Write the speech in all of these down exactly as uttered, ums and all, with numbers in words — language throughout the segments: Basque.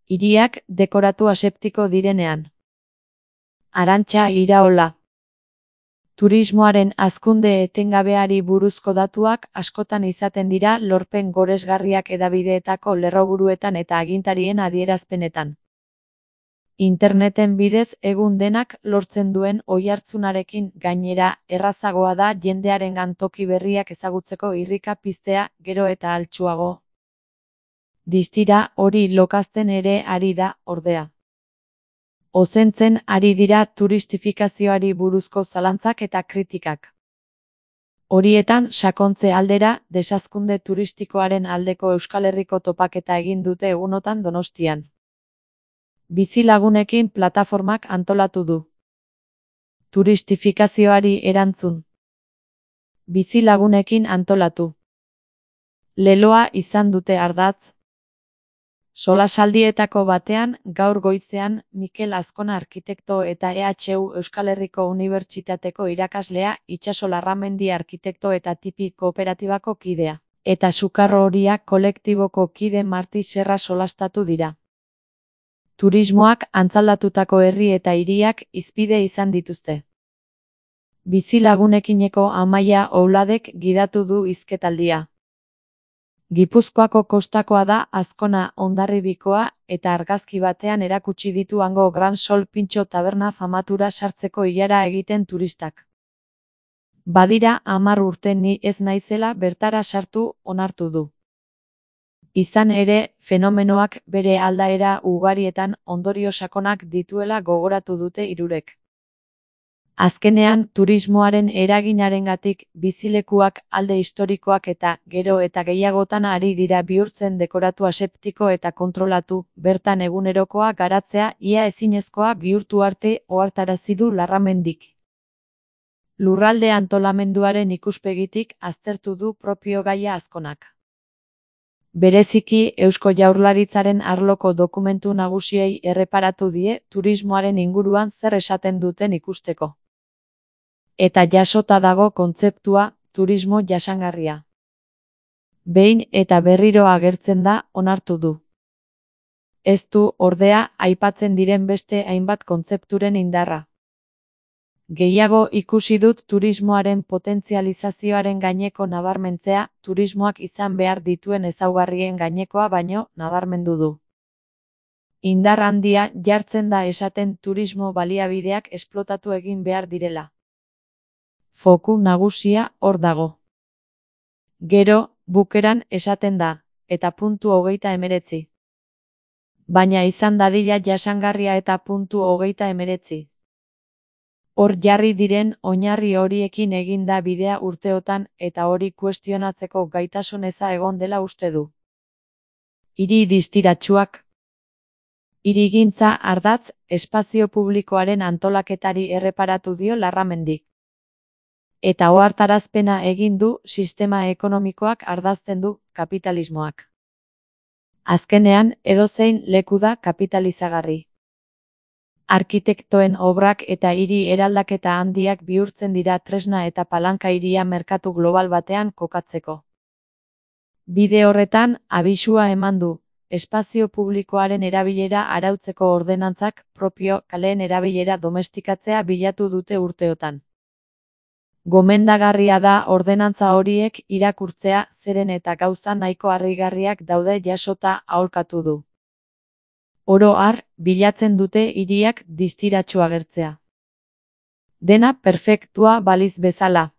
Hiriak dekoratu aseptiko direnean. Arantxa Iraola. Turismoaren hazkunde etengabeari buruzko datuak askotan izaten dira lorpen goresgarriak hedabideetako lerroburuetan eta agintarien adierazpenetan. Interneten bidez egun denak lortzen duen oihartzunarekin gainera errazagoa da jendearengan toki berriak ezagutzeko irrika piztea gero eta altsuago. Distira hori lokazten ere ari da, ordea. Ozentzen ari dira turistifikazioari buruzko zalantzak eta kritikak. Horietan sakontze aldera, desazkunde turistikoaren aldeko Euskal Herriko topaketa egin dute egunotan Donostian. Bizilagunekin plataformak antolatu du. Turistifikazioari erantzun. Bizilagunekin antolatu. Leloa izan dute ardatz. Solasaldietako batean, gaur goizean, Mikel Azkona arkitekto eta E H U Euskal Herriko Unibertsitateko irakaslea, Itsaso Larramendi arkitekto eta tipi kooperatibako kidea, eta Sukarro Horia kolektiboko kide Marti Serra solastatu dira. Turismoak antzalatutako herri eta hiriak hizpide izan dituzte. Bizilagunekineko Amaia Ouladek gidatu du hizketaldia. Gipuzkoako kostakoa da Azkona Hondarribikoa eta argazki batean erakutsi ditu hango Gran Sol Pintxo taberna famatura sartzeko ilara egiten turistak. Badira hamar urte ni ez naizela bertara sartu onartu du. Izan ere, fenomenoak bere aldaera ugarietan ondorio sakonak dituela gogoratu dute hirurek. Azkenean, turismoaren eraginarengatik bizilekuak alde historikoak eta gero eta gehiagotan ari dira bihurtzen dekoratu aseptiko eta kontrolatu, bertan egunerokoa garatzea ia ezinezkoa bihurtu arte ohartarazi du Larramendik. Lurralde antolamenduaren ikuspegitik aztertu du propio gaia Azkonak. Bereziki Eusko Jaurlaritzaren arloko dokumentu nagusiei erreparatu die turismoaren inguruan zer esaten duten ikusteko. Eta jasota dago kontzeptua, turismo jasangarria. Behin eta berriro agertzen da, onartu du. Ez du, ordea, aipatzen diren beste hainbat kontzepturen indarra. Gehiago ikusi dut turismoaren potentzializazioaren gaineko nabarmentzea, turismoak izan behar dituen ezaugarrien gainekoa baino nabarmendu du. Indar handia jartzen da esaten turismo baliabideak esplotatu egin behar direla. Foku nagusia hor dago. Gero, bukeran esaten da, eta puntu hogeita emeretzi. Baina izan dadila jasangarria eta puntu hogeita emeretzi. Hor jarri diren oinarri horiekin egin da bidea urteotan eta hori kuestionatzeko gaitasun eza egon dela uste du. Hiri distiratsuak. Hirigintza ardatz, espazio publikoaren antolaketari erreparatu dio Larramendik. Eta ohartarazpena egin du sistema ekonomikoak ardazten du kapitalismoak. Azkenean, edozein leku da kapitalizagarri. Arkitektoen obrak eta hiri eraldaketa handiak bihurtzen dira tresna eta palanka hiria merkatu global batean kokatzeko. Bide horretan, abisua eman du, espazio publikoaren erabilera arautzeko ordenantzak propio kaleen erabilera domestikatzea bilatu dute urteotan. Gomendagarria da ordenantza horiek irakurtzea zeren eta gauza nahiko harrigarriak daude jasota aholkatu du. Oro har, bilatzen dute hiriak distiratsu agertzea. Dena perfektua baliz bezala.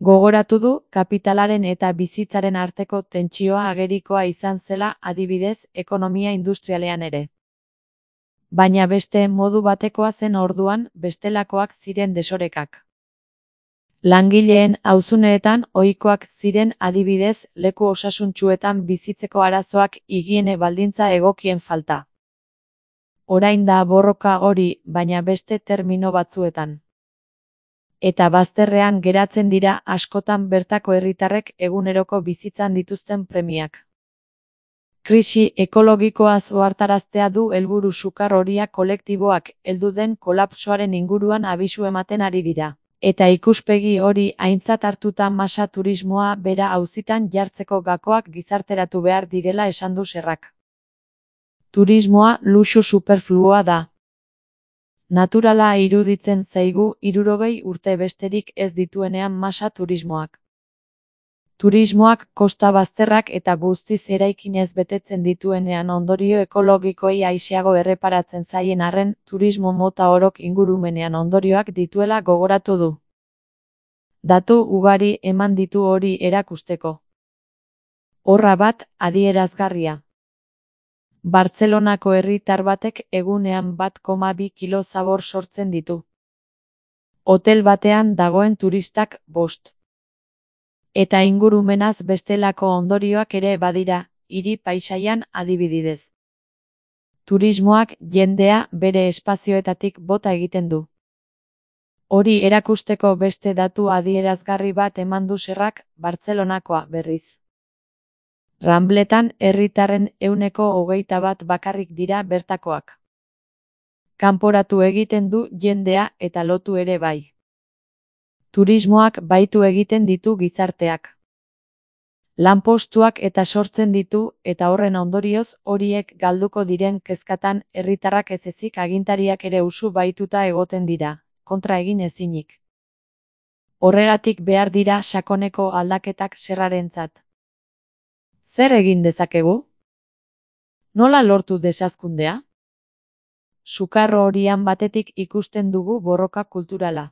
Gogoratu du kapitalaren eta bizitzaren arteko tentsioa agerikoa izan zela adibidez ekonomia industrialean ere. Baina beste modu batekoa zen orduan bestelakoak ziren desorekak. Langileen auzuneetan ohikoak ziren adibidez leku osasuntsuetan bizitzeko arazoak higiene baldintza egokien falta. Orain da borroka hori, baina beste termino batzuetan. Eta bazterrean geratzen dira askotan bertako herritarrek eguneroko bizitzan dituzten premiak. Krisi ekologikoaz ohartaraztea du helburu Sukarro Horia kolektiboak heldu den kolapsoaren inguruan abisu ematen ari dira. Eta ikuspegi hori aintzat hartuta masa turismoa bera auzitan jartzeko gakoak gizarteratu behar direla esan du Serrak. Turismoa luxu superfluoa da. Naturala iruditzen zaigu hirurogei urte besterik ez dituenean masa turismoak. Turismoak kosta bazterrak eta guztiz eraikinez betetzen dituenean ondorio ekologikoei aiseago erreparatzen zaien arren, turismo mota orok ingurumenean ondorioak dituela gogoratu du. Datu ugari eman ditu hori erakusteko. Horra bat, adierazgarria. Bartzelonako herritar batek egunean bat koma bi kilo zabor sortzen ditu. Hotel batean dagoen turistak bost. Eta ingurumenaz bestelako ondorioak ere badira, hiri paisaian adibidez. Turismoak jendea bere espazioetatik bota egiten du. Hori erakusteko beste datu adierazgarri bat eman du Serrak, Bartzelonakoa berriz. Rambletan herritarren ehuneko hogeita bat bakarrik dira bertakoak. Kanporatu egiten du jendea eta lotu ere bai. Turismoak baitu egiten ditu gizarteak. Lanpostuak eta sortzen ditu eta horren ondorioz horiek galduko diren kezkatan herritarrak ez ezik agintariak ere usu baituta egoten dira, kontra egin ezinik. Horregatik behar dira sakoneko aldaketak Serrarentzat. Zer egin dezakegu? Nola lortu desazkundea? Sukarro horian batetik ikusten dugu borroka kulturala.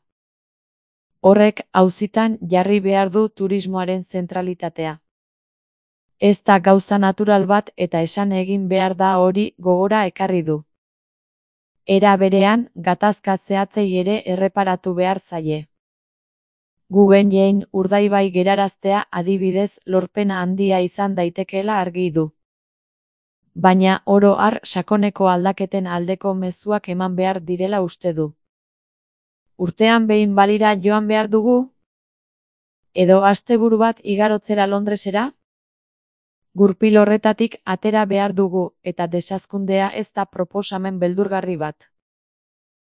Horrek auzitan jarri behar du turismoaren zentralitatea. Ez da gauza natural bat eta esan egin behar da hori gogora ekarri du. Era berean, gatazka zehatzei ere erreparatu behar zaie. Guggenheim Urdaibai geraraztea adibidez lorpena handia izan daitekeela argi du. Baina oro har sakoneko aldaketen aldeko mezuak eman behar direla uste du. Urtean behin balira joan behar dugu? Edo asteburu bat igarotzera Londresera? Gurpil horretatik atera behar dugu eta desazkundea ez da proposamen beldurgarri bat.